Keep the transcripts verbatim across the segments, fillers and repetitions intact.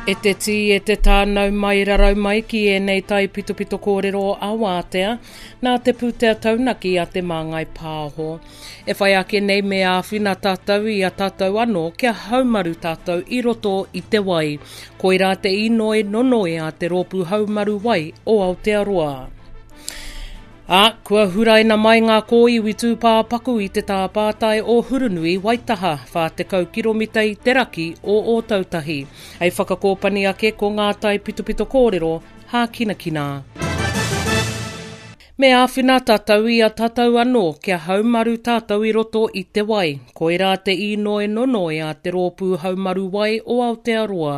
E te tī, e te tānau mai rarau mai ki ēnei tai pitopito kōrero a wātea, nā te pūtea taunaki a te māngai pāho. E whai ake nei me āwhina tātou i a tātou anō kia haumaru tātou i roto i te wai. Koirā te inoi nonoi a te rōpū haumaru wai o Aotearoa. Ā, kua huraina mai ngā kōiwi tūpāpaku i te tāpātai o Hurunui, Waitaha, whā tekau kiromita i te raki o Ōtautahi. Hei whakakōpani ake ko ngā tai pitopito kōrero hākinakina. Me āwhina tātou i a tātou anō kia haumaru tātou i roto i te wai. Koirā te inoi nonoi a te rōpū haumaru wai o Aotearoa.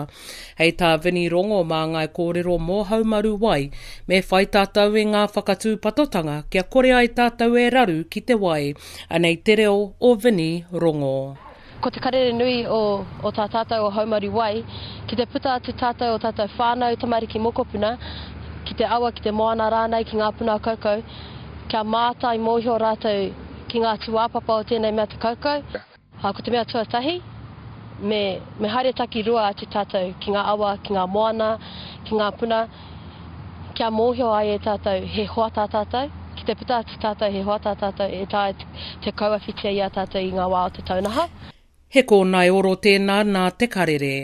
Hei tā Vini Rongo mā ngā kōrero mō haumaru wai, me whai tātou i ngā whakatūpatotanga kia kore ai tātou e raru ki te wai. Anei te reo o Vini Rongo. Ko te karere nui o, o tā tātou o haumaru wai, ki te puta atu tātou o tātou whānau tamariki mokopuna, ki te awa, ki te moana rānei, ki ngā puna kaukau, kia mātai mōhio rātou ki ngā tūāpapa o tēnei mea te kaukau. Ko te mea tuatahi, me, me haere taki rua atu tātou ki ngā awa, ki ngā moana, ki ngā puna, kia mōhio ai e tātou he hoa tā tātou, ki te puta atu tātou he hoa tā tātou e taea te kauawhitia i a tātou i ngā wā o te taunaha. He kōnae oro tēnā nā te karere.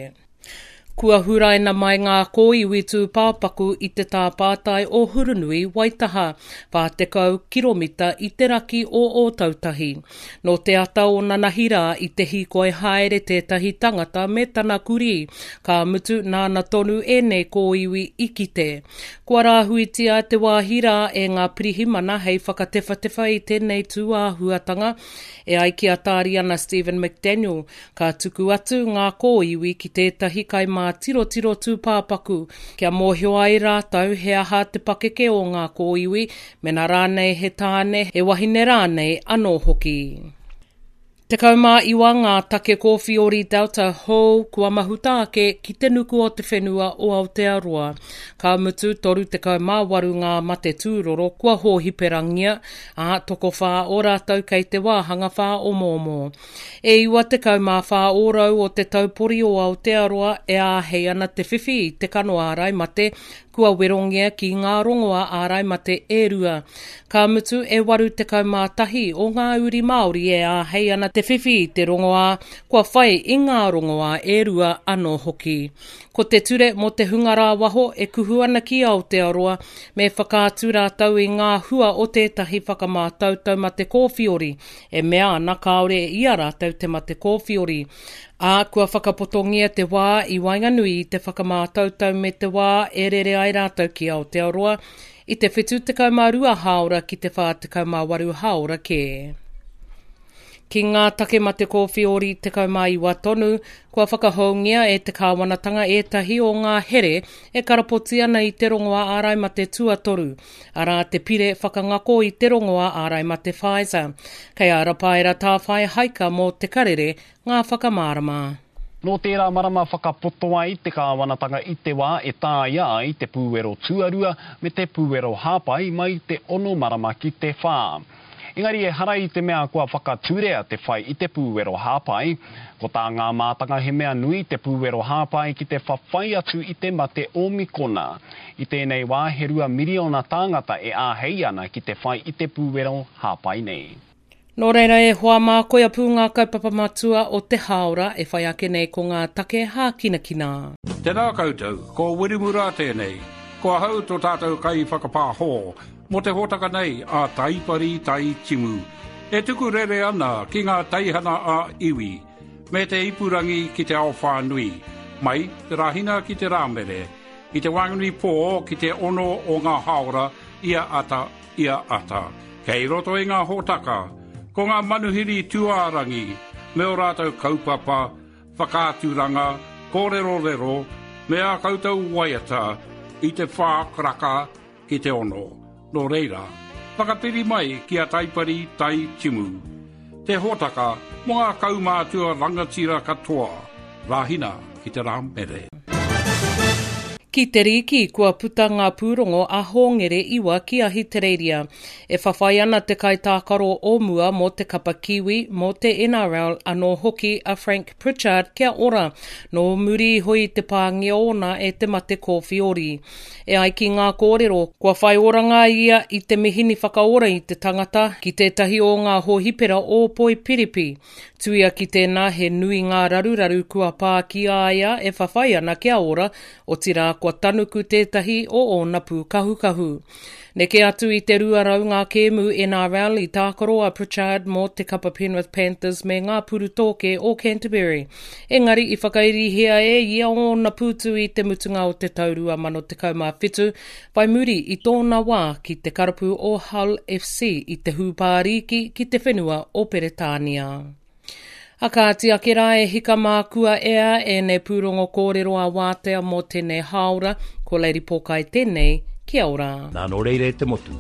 Kua huraina mai ngā kōiwi tūpāpaku i te tāpātai o Hurunui, Waitaha, whā tekau kiromita i te raki o Ōtautahi. Nō te ata o nanahi rā i te hīkoi haere tētahi tangata me tana kurī, ka mutu nāna tonu ēnei kōiwi i kite. Kua rāhuitia te wāhi rā e ngā pirihimana hei whakatewhatewha i tēnei tūāhuatanga, e ai ki a Tāriana Stephen McDaniel, ka tuku atu ngā kōiwi ki tētahi kaimātirotiro tūpāpaku, kia mōhio ai rātou he aha te pakeke o ngā kōiwi, mena rānei he tāne, he wahine rānei anō hoki. Tekau mā iwa ngā take kōwhiori Delta hou kua mahuta ake ki te nuku o te whenua o Aotearoa. Ka mutu toru tekau mā waru ngā mate tūroro kua hōhiperangia, ā, tokowhā o rātou kei te wāhanga whāomoomo. E iwa tekau mā whā ōrau o te taupori o Aotearoa e āhei ana te whiwhi i te kano ārai mate kua werongia ki ngā rongoa ārai mate e rua. Ka mutu e waru tekau mā tahi o ngā uri Māori e āhei ana te whiwhi i te rongoā, kua whai i ngā rongoā e rua anō hoki. Ko te ture mō te hunga rāwaho e kuhu ana ki Aotearoa, me whakaatu rātou i ngā hua o tētahi whakamātautau mate kōwhiori, e mea ana kāore i a rātou te mate kōwhiori. Ā, kua whakapotongia te wā i waenganui i te whakamātautau me te wā e rere ai rātou ki Aotearoa i te whitu tekau mā rua hāora ki te whā tekau mā waru hāora kē. Ki ngā take mate kōwhiori tekau mā iwa tonu, kua whakahoungia e te kāwanatanga ētahi o ngā here e karapoti ana i te rongoā ārai mate tuatoru, arā te pire whakangako i te rongoā ārai mate Pfizer. Kei a Rapaera Tāwhai Haika mō te karere ngā whakamārama. Nō tērā marama whakapoto ai te kāwanatanga i te wā e tāia ai te pūwero tuarua me te pūwero hāpai mai te ono marama ki te whā. Engari e hara i te mea kua whakaturea te whai i te pūwero hāpai. Ko tā ngā mātanga he mea nui te pūwero hāpai ki te whawhai atu i te mate Omikona. I tēnei wā he rua miriona tāngata e āhei ana ki te whai i te pūwero hāpai nei. Nō reira e hoa mā koia pū ngā kaupapa matua o te hāora e whai ake nei ko ngā take hākinakina. Tēnā koutou, ko Wirimura tēnei. Ko ahau tō tātou kai whakapāhō, mō te hōtaka nei a Taipari Tai Timu. E tuku rere ana ki ngā teihana a iwi, me te ipurangi ki te ao whānui, mai te Rāhina ki te Rāmere, i te Whanganui pō ki te ono o ngā hāora ia ata, ia ata. Kei roto i ngā hōtaka, ko ngā manuhiri tūārangi, me o rātou kaupapa, whakaaturanga, kōrerorero, me ā koutou waiata i te whā karaka ki te ono. Nō reira, whakapiri mai ki a Taipari Tai Timu. Te hōtaka mō ngā kaumātua rangatira katoa, Rāhina ki te Rāmere. Ki te rīki, kua puta ngā pūrongo a Hōngere iwa ki Ahitereiria. E whawhai ana te kaitākaro o mua mō te kapa Kiwi, mō te N R L anō hoki a Frank Pritchard kia ora, nō muri iho i te pāngia ōna e te mate kōwhiori. E ai ki ngā kōrero, kua whai oranga ia i te mihini whakaora i te tangata ki tētahi o ngā hōhipera o Poipiripi. Tuia ki tēnā, he nui ngā raruraru kua pā ki a ia e whawhai ana kia ora, otirā kua tanuku tētahi o ōna pūkahukahu. Neke atu i te rua rau ngā kēmu N R L i tākaro a Pritchard mō te kapa Penrith Panthers me ngā Purutōke o Canterbury. Engari i whakairihia e ia ōna pūtu i te mutunga o te tau rua mano tekau mā whitu, whai muri i tōna wā ki te karapu o Hull F C i te Hūpā Rīki ki te whenua o Peretānia. A kāti ake rā, e hika mā, kua ea ēnei pūrongo kōrero a wātea mō tēnei hāora, ko Lady Pōkai tēnei, kia ora. Nā nō reira e te motu,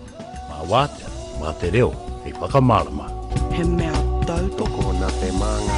mā wātea, mā te reo, hei whakamārama. He mea tautoko Tokona te māngai.